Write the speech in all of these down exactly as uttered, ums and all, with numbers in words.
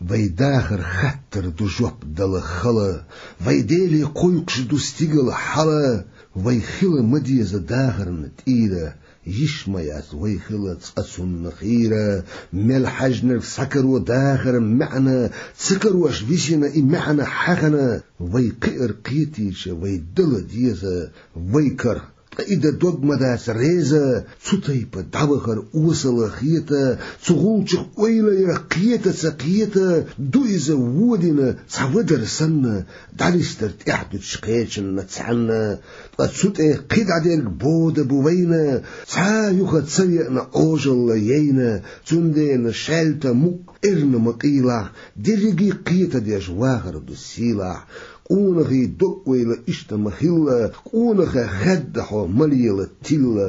Вай дахар хаттар ду жоп дала хала, вай Деле кхойкхуш ду стигала хьала, вай хила ма деза дахарна тӀера, йиш ма яц вай хила цкъа цунна хийра. Мел хьаьжнарг схьакаро дахар маьӀна, ца карош висина и маьӀна хьахана, вай кхиар кхетийча вай дала деза вай кара. Ткъа и дан дог ма дац реза, цу тайпа дӀавахар осала хета, цу гӀулчах ойла яр кхета ца кхета, ду иза водина цхьа вадар санна, дӀанистар тӀехь дучу кхечанна цхьанна. Ткъа цу тӀе кхин дӀадерг бода бу вайна, цхьа а юха ца веана Ӏожалла яйна, цундела шаьлта мукъ эрна ма къийлахь, дерриге кхетадеш вахар ду сийлахь. Къонахий дог ойла иштта ма хилла, къонахий хадда хьо ма лела тилла.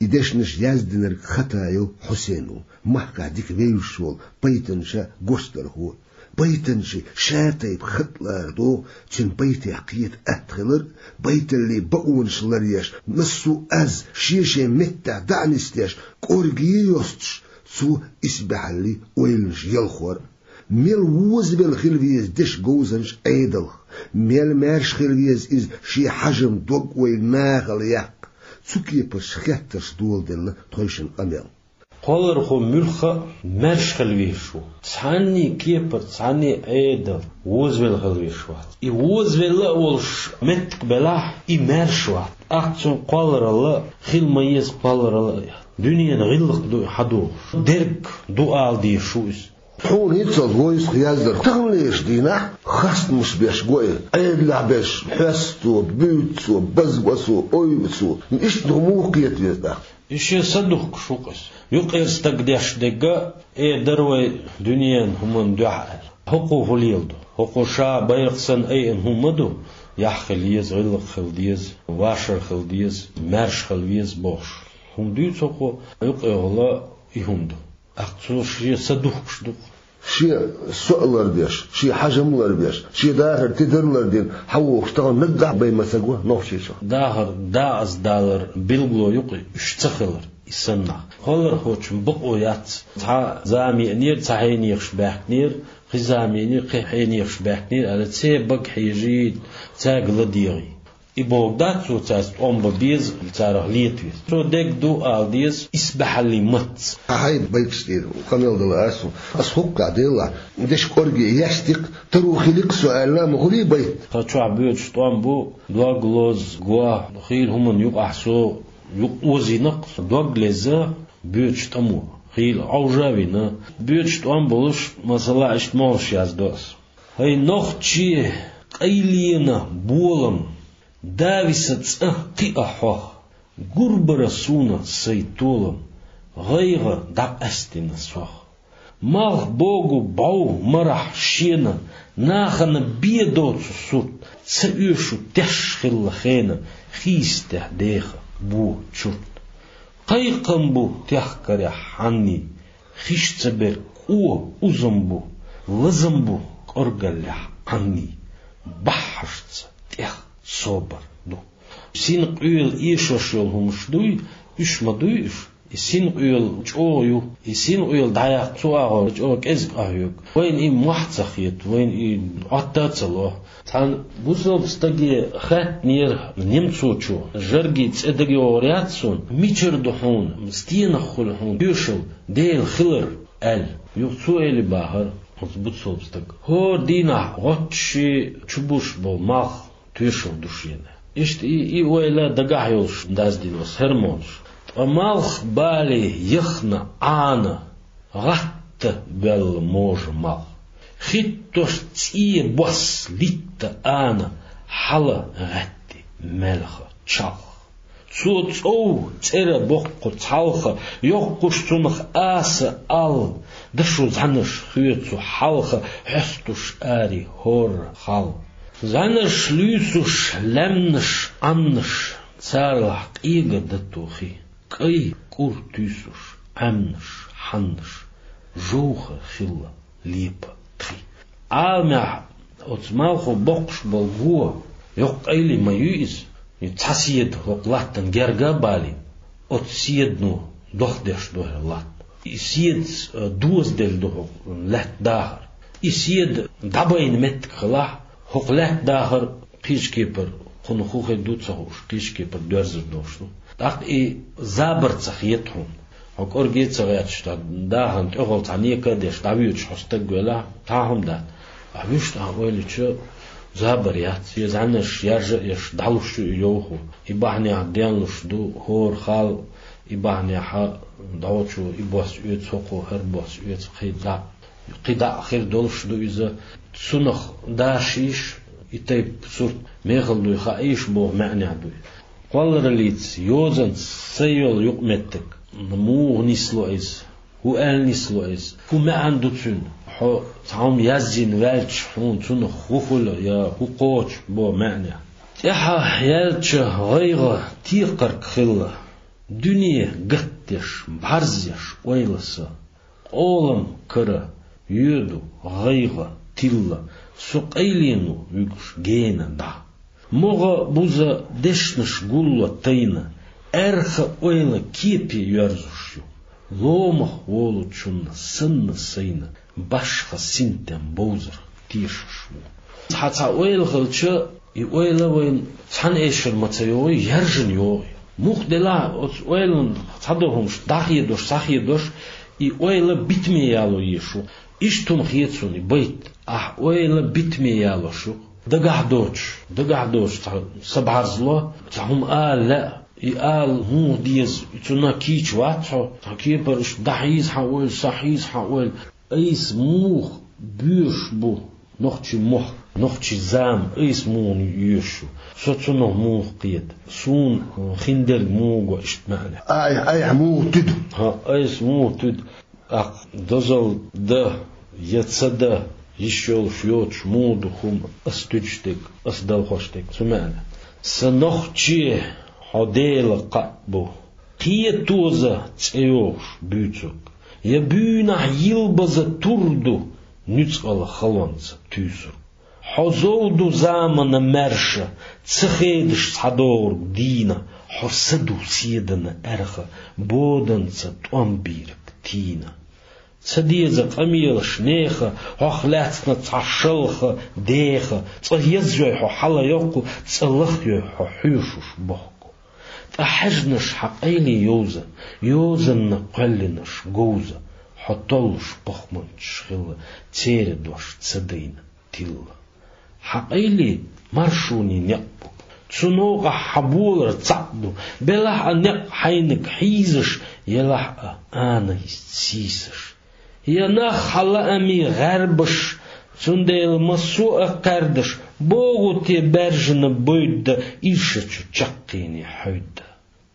И дешнаш яздинарг хатайо Хьусейно, махкахь дика вевзаш волу, пайтанча гочдархо. Пайтанча ша тайпа хатӀ лара догӀу, цуьнан байтех кхета атта хилар, байталлин бакъонаш ларъеш, массо а аз шен-шен меттехь дӀа а нисдеш, кӀорге йостуш, цо исбаьхьаллин ойланаш ялхор. Мел возавелла хила веза дешан говзанча Ӏедалх, мел маьрша хила веза иза шен хьажам дог-ойла нахала яккха. Цу кепарчу хеттарш доладелла тхойшинна къамел. Кхоллархо муьлхха а маьрша хила везаш ву. Цхьанний кепара, цхьанний Ӏедал возавелла хила везаш вац. И возавелла а волуш меттиг белахь, и маьрша вац. ТӀаккха цуьнан кхолларалла хила ма еза, кхолларалла а дуьненан гӀиллакх ду и хьадогӀуш. Дерг ду ала дезаш ву иза. Хьуна хӀинццалц войсах яздарх таханлерчу дийнахь хастамаш беш го и, Ӏедалехь берш хьоьстуцо, буьйцуцо, базбасо, ойбацо. Иштта муха кхета веза тӀаккха? И шен са духкуш ву-кх иза. Юкъера стаг деш дерг а, э, дара вай дуьненан хӀуманна дуьхьа аьлла. ХӀокхо хӀун леладо? ХӀокхо ша байракх санна айина хӀума ма ду, яхь хила еза, гӀиллакх хила деза, вашар хила деза, маьрша хила веза бохуш. ХӀума дуьйцу хӀокхо, юкъехула и хӀума ду. ТӀаккха цо шен са духкуш ду-кх. Шен со а лардеш, шен хьажам а ларбеш, шен дахар тидар а лардина, хьан вохуш тахана наггахь бен ма ца го нохчийчохь. Дахар дакъаза далар билгало ю-кх и, уьш ца хилар и санна. Кхоллархочун бакъо яц. Цхьа зама еанера, цхьа хьенехаш баьхкинера, кхин зама еанера, кхин хьенехаш баьхкинера аьлла, церан бага хьежийта, цаьрга ладегӀийта. И бохург дац цо цаьрца тӀом бан беза, царах лета веза. Цо дерг ду ала деза исбаьхьаллин маттаца. Ахьа, хьайн байташ тӀера къамел дала аса хьуна. Аса хӀокху тӀехь делахь, дешан кӀорге яьстина-кх, таро хилира-кх со аьлла а ма хуьлий байт. Тхан чохь боьдуш тӀом бу, дог лоза, го, хийла хӀуманна юкъахь со юкъа озийна-кх, со дог лезна боьдучу тӀамо, хийла Ӏовжа а вина. Боьдуш тӀом болуш, масала, иштта могӀарш яздо аса. ХӀай нохчий, къайленан болам, дависа цӀа кхиа хьох, гур бара суна сайн толам, гӀайгӀа дӀакъаьстина сох. Малх богу бӀов марахь шена, нахана бен доцу сурт, ца оьшу теш хилла хенан, хийстехь деха бо чурт. Кхайкхам бу техкарехь хьанний, хиш ца берг кӀо узам бу, лазам бу кӀоргаллехь Ӏанний, баххьашца тӀех собар ду. Синкъоьла эшош йолу хӀумаш дуй, уьш ма дуй уьш. И синкъоьла чӀогӀа ю, и синкъоьла дӀаяккха цу агӀор чӀогӀа кӀезиг къахьоьгу. Вайна и мохь ца хета, вайна и Ӏотта а ца ло. Цхьана бусалба стаге хаьттинера немцочо, Жаргий, цӀе дага йогӀур яц суна, мичара ду хьуна, стенах хуьлу хьуна тоьшалла, Дела хилар, аьлла. Юха цо элира бахара оцу бусалба стага: хӀора дийнахь гӀоттуш чубуш болу малх тоьшалла ду шена. Иштта и, и ойла дагахь йолуш даздина оцу хӀара молуш. Ткъа малх бале яхна Ӏана, гӀатта боьлла можа малх. Хиттош цӀе бос литта ана, хьала гӀаьтти маьлха чалх. Цо цӀов цӀера боккху цхьалха, йоккхуш цунах аса ал, дашо зӀаьнарш хоьцу хьалха, хьоьстуш ари хӀорра хал. ЗӀаьнарш луьйсуш лаьмнаш, Ӏаннаш, царалахь къега датохи, кӀай кӀур туьйсуш, Ӏаьмнаш, хьаннаш, жовха хилла лепа тхи. Ӏаламехь оцу малхо боккхуш болу го йоккха къайле ма юй иза, и цхьа седа хӀокху латтана герга а балийна, оцу седано дохдеш ду хӀара латта. И седаца, э, дозаделла ду хӀокху лаьтта дахар. И седа дӀабайна меттиг хилахь, хӀокху лаьтта дахар кхечу кепара, кхунах хӀун хир ду ца хууш, кхечу кепара доьрзур долуш ду. ТӀаккха и забар ца хета хьуна. Хьо кӀорге а ца гӀерташ, тхан дахарна тӀехула цхьа нека а деш, дӀавоьдуш хьо стаг велахь, цхьа а хӀума дац. Ахь вуьшта ахь ойла йича, забар яц, я зӀаьнарш яржа а еш, дӀалуш ю и йовхо. И бахьанехь денлуш ду хӀора хала, и бахьанехь дӀочо и бос оьцу, хӀокхо хӀара бос оьцу, кхин дӀа, кхин дӀа а хир долуш ду иза. Цунах дашийша, и тайпа сурт мехала дуй хаийша боху маьӀнехь дуй. Кхоллараллица, йозанца сайн йолу юкъаметтиг, муха нисло иза, хӀун аьлла нисло иза, хӀун маьӀна ду цуьнан, хьо цхьа хӀума язйина ваьлча, хьуна цунах хӀун хуьлу я хӀун кхочу боху маьӀнехь. ТӀаьхьа яьлча гӀайгӀа текхарг хилла, дуьне гатдеш, бӀарзъеш ойла сан. Къолам кара йоьду гӀайгӀа тилла, со къайлено вуьгуш гена дӀа. МогӀа буза дешнаш гулло тайна, аьрха ойла кепе йоьрзуш ю. Ломах волучунна санна сайна, башха синтем бовзар тешаш ву. Цхьа-цхьа ойла хилча, и ойла вайна цхьана эшар ма ца йогӀий, яржана йогӀий. Муха делахь оцу ойланна цхьадолу хӀумаш дӀахедош, схьахедош, и ойла битаме яло езаш ву. Иштта хӀума хета суна и байт. Ахь ойла битаме ялош ю. Дагахь доцуш, дагахь доцуш цхьа са бӀарзло, цхьа хӀума ала лаьа, и ала муха деза, и цунна кийча вац хьо, цхьа кепара иштта дӀахьийза хьан ойла, схьахьийза хьан ойла. Айса муха боьшуш бу нохчийн мохк, нохчийн зама, айса муха йоьшуш ю? Со цунах муха кхета? Суна хиндерг муха го иштта маьӀна? Ай, айхьа муха туьду? ХӀа, айса муха туьду? ТӀаккха дозалла дан я ца дан йиш йолуш йоцуш муха ду хӀума ас туьдуш дерг, ас далхош дерг цу маьӀна? Сан нохче, хьо Дела кхаъ бу, кхетоза цӀе йогӀуш буьйцург, я буьйнахь йилбаза тур ду нуьцкъала халонца туьйсург. Хьо зов ду заманан маьрша, ца хедаш схьадогӀург дийна, хьо са ду седана аьрха, боданца тӀом бийриг тийна. Ца деза къамелаш нехан, хьох лаьцна цхьа шалха деха, цкъа язйой хьо хьала йоккху, цкъа лахйой хьо хьоьшуш бохку. Ткъа хьаьжнаш хьан къайле йовза, йозанна кхоьллинарш говза, хьо толлуш похманчаш хилла, церан дош ца дайна тилла. Хьан къайле маршонан некъ бу, цу новкъахь хьан болар цхьаъ ду, белахь а некъ хьайниг хьийзаш, елахь а анайс сийсаш. Я нах хьан лаамийн гӀарбаш, цундела массо а кхаьрдаш, богӀу те баьржина бойда иршачу чаккхене хьоьда.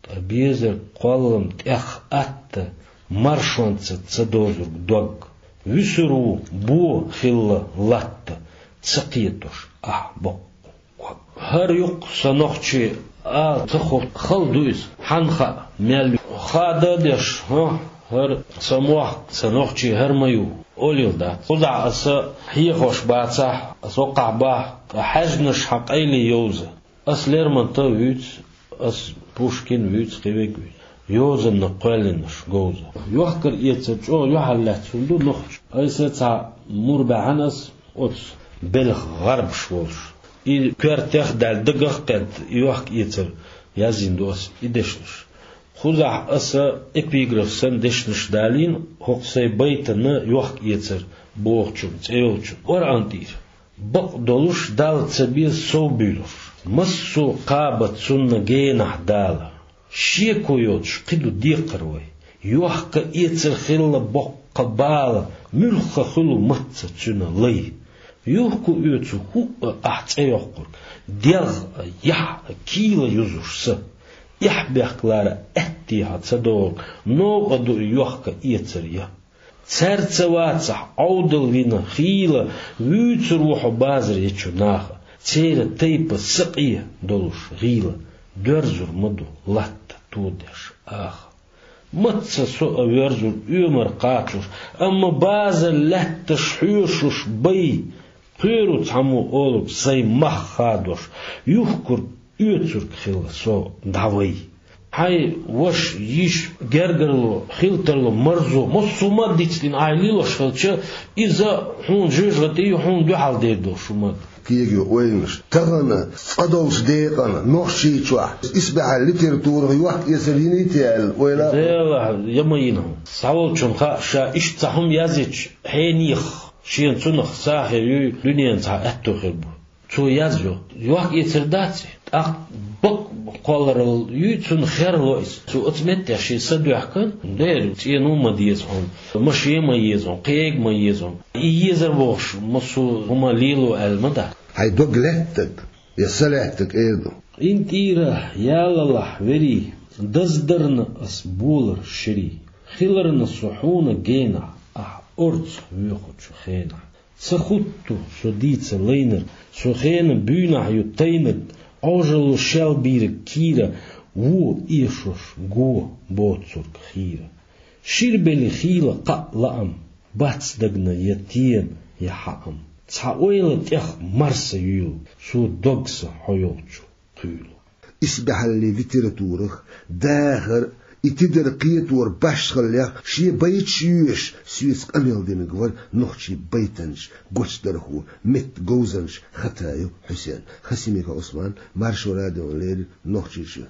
Ткъа безарг кхоллам тӀех атта, маршонца ца дозург дог, вуьсур ву бо хилла латта, ца кхетош ахь боккха. ХӀара юккъе сан нохчи а ца хо хала ду иза, хьанна хаьа, мел ю. Хада а деш, хӀа, хӀара сан мохк, сан нохчи хӀара ма ю, олийла дац. Кхузахь аса хьехош бацахь, аса оккхахь бахь, ткъа хьаьжнаш хьан къайле йовза. Ас Лермонтов вуьйцу, ас Пушкин вуьйцу, кхин вег вуьйцу. Йозанна кхоьллинарш говза. Йохкар-эцар чӀогӀа юьхьарлаьцна ду нохча. Айса цхьа мур баьхьана ас оцу белхан гӀарбаш волуш. И коьртех а даьлла, дагах а кхетта, и йохка-эцар язйина ду ас, и дешнаш. Кхузахь аса эпиграф санна дешнаш далийна, хӀокху сайн байтана йохка-эцар бохучун, цӀе йолчун, Къуръан тӀера. Бакъдолуш Далла ца беза сов буьйлуш, массо а кхаба цунна генахь Дала. Шеко йоцуш кхин ду декхар вай. Йохка-эцар хилла боккха бала, муьлхха хуьлу мацца цуьнан лай. Юхку оьцу хӀуъа ахь цӀе йоккхург, дегӀ а, яхь а кийла юзуш са. Эхь-бехк лара аьттехьа ца догӀург, новкъа ду и йохка-эцар я. Цаьрца вацахь Ӏовдал вина хийла, вуьйцур ву хьо базар ечу наха, церан тайпа сакъе долуш гӀийла, доьрзур ма ду латта тодеш аха. Мацца со а воьрзур оьмар кхачош, амма базар лаьтташ хьоьшуш бай, кхоьру цхьаммо олург сайн мах хадош, юхкург оьцург хилла со дӀавай. Хьай ваша, йиша, гергарло, хилтарло, марзо, массо а мад дицдина ахь лелош хилча, иза хьуна жоьжахати ю, хьуна дуьхьал дер долуш шу мад. Кегао ойланаш. Тахана цкъа долчу декъана Нохчийчохь исбаьхьаллин литературах йохк-эцар йиний те аьлла ойла а. Делахь, я ма йина хьуна. Схьаволчунна хаьа, ша иштта цхьа хӀума язйича хьенех, шена цунах сагӀа хир юй, дуьненан цхьа аьтто хир бу. Цо язйо. Йохк-эцар дац и. ТӀаккха бакъ кхолларалла юй цунна херло иза. Цо оцу меттехь шен са доьхкина, дера, цӀено а ма деза хьуна, машен а ма еза хьуна, кхиэйг а ма еза хьуна. И езар бохуш, массо а хӀума лело аьлла ма дац. Хьайн дог лаьттаг, я са лаьттаг эр ду. Къинтӏера ялалахь верий, даздарна ас болар ширий. Хиларна со хьуна генахь, ахь орцах воьхучу хенахь. Ца хутту со дийца лайнарг, со хенан буьйнахь ю тайнарг, Ӏожалло шел бийриг кийра, вон эшош го боцург хийра. Ширбелла хийла кхаъ лаам, бац дагна я тем, я хьаам. Цхьа ойла тӀех марса юьйлу, со дог сан хьо йолчу кхуьйлу. Исбаьхьаллин литературах дахар, и тидар кхетор башхаллех шен байташ йоьшуш, соьца къамел динарг вара нохчийн байтанча гочдархо, меттан говзанча Хатаев Хьусен. Хасимиков Ӏусман, Маршо радиона леррина, Нохчийчоь.